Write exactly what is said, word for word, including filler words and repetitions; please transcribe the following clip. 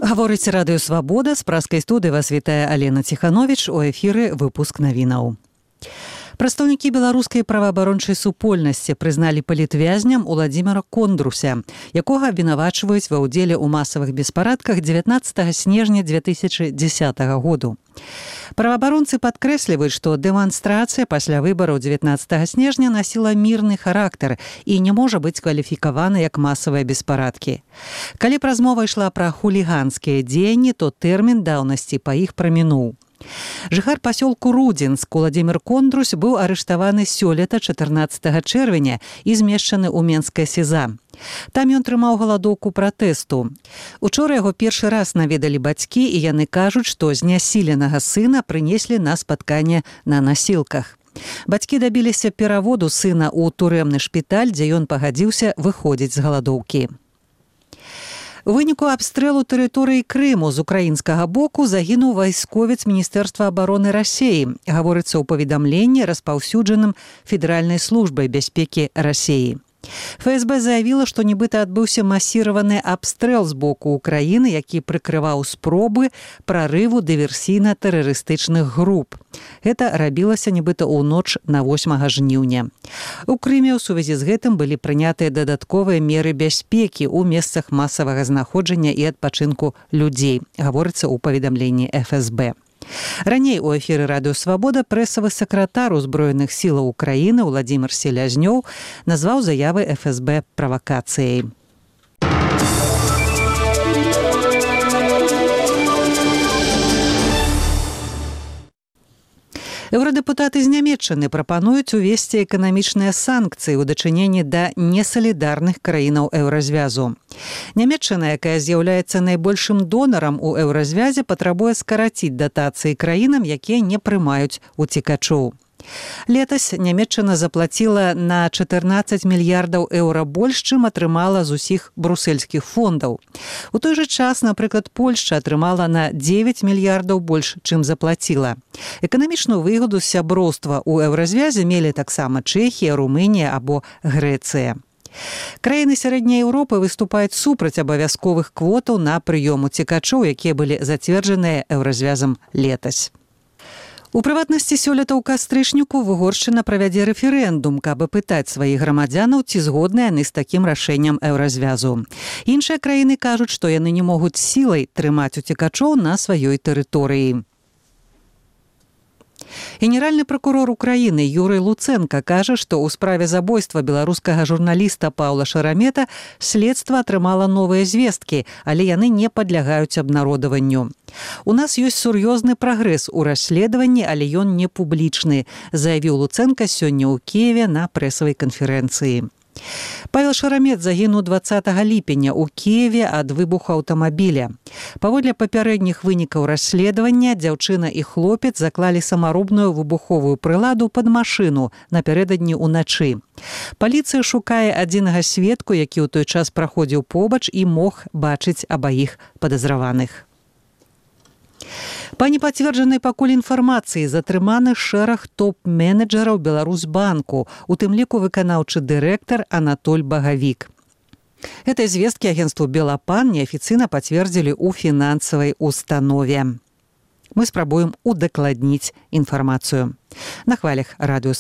Гаворыць радыё «Свабода», з праскай студыі вас вітае Алена Ціхановіч, у эфіры выпуск навінаў. Прадстаўнікі беларускай праваабарончай супольнасці прызналі палітвязням Уладзіміра Кондруся, якога абвінавачваюць ва ўдзеле ў масавых беспарадках дзевятнаццатага снежня дзве тысячы дзесятага году. Праваабаронцы падкрэсліваюць, што дэманстрацыя пасля выбараў дзевятнаццатага снежня насіла мірны характар і не можа быць кваліфікавана як масавыя беспарадкі. Калі б размова ішла пра хуліганскія дзеянні, то тэрмін даўнасці па іх прамінуў. Жыхар пасёлку Рудзінск Уладзімір Кондрус быў арыштаваны сёлета чатырнаццатага чэрвеня і змешчаны ў Менскае СІЗА. Там ён трымаў галадоўку пратэсту. Учора яго першы раз наведалі бацькі, і яны кажуць, што знясіленага сына прынеслі на спатканне на насілках. Бацькі дабіліся пераводу сына ў турэмны шпіталь, дзе ён пагадзіўся выходзіць з галадоўкі. У выніку абстрэлу тэрыторыі Крыму з украінскага боку загінуў вайсковец Міністэрства абароны Расеі, гаворыцца ў паведамленні, распаўсюджаным Федэральнай службай бяспекі Расеі. ФСБ заявіла, што нібыта адбыўся масіраваны абстрэл з боку Украіны, які прыкрываў спробы прарыву дыверсійна-тэрарыстычных груп. Гэта рабілася нібыта ў ноч на восьмага жніўня. У Крыме ў сувязі з гэтым былі прынятыя дадатковыя меры бяспекі ў месцах масавага знаходжання і адпачынку людзей, гаворыцца ў паведамленні ФСБ. Раней у эфіры радыё «Свабода» прэсавы сакратар узброеных сілаў Украіны Уладзімір Селязнёў назваў заявы ФСБ правакацыяй. Еўрадэпутаты з Нямецчыны прапануюць увесці эканамічныя санкцыі ў дачыненні да несалідарных краінаў еўразвязу. Нямецчына, якая з'яўляецца найбольшым донарам у еўразвязе, патрабуе скараціць датацыі краінам, якія не прымаюць уцекачоў. Летась Нямецчына заплаціла на чатырнаццаць мільярдаў еўра больш, чым атрымала з усіх брусельскіх фондаў. У той жа час, напрыклад, Польшча атрымала на дзевяць мільярдаў больш, чым заплаціла. Эканамічную выгаду з сяброўства ў еўразвязе мелі таксама Чэхія, Румынія або Грэцыя. Краіны сярэдняй Еўропы выступаюць супраць абавязковых квотаў на прыём уцекачоў, якія былі зацверджаныя еўразвязам летась. У прыватнасці сёлета ў кастрычніку Угоршчына правядзе рэферэндум, каб апытаць сваіх грамадзянаў, ці згодныя яны з такім рашэннем еўразвязу. Іншыя краіны кажуць, што яны не могуць сілай трымаць уцекачоў на сваёй тэрыторыі. Генеральны пракурор Украіны Юрый Луцэнка кажа, што ў справе забойства беларускага журналіста Паўла Шарамета следства атрымала новыя звесткі, але яны не падлягаюць абнародаванню. У нас ёсць сур'ёзны прагрэс у расследаванні, але ён не публічны, заявіў Луцэнка сёння ў Кіеве на прэсавай канферэнцыі. Павел Шарамет загінуў дваццатага ліпеня ў Кіеве ад выбуху аўтамабіля. Паводле папярэдніх вынікаў расследавання, дзяўчына і хлопец заклалі самаробную выбуховую прыладу пад машыну напярэдадні ўначы. Паліцыя шукае адзінага сведку, які ў той час праходзіў побач і мог бачыць абаіх падазраваных. Па непацверджанай пакуль інфармацыі затрыманы шэраг топ-менеджараў Беларусьбанку, у тым ліку выканаўчы дырэктар Анатоль Багавік. Гэтай звесткі агенцтву «Белапан» неафіцыйна пацвердзілі ў фінансавай установе. Мы спрабуем удакладніць інфармацыю. На хвалях радыё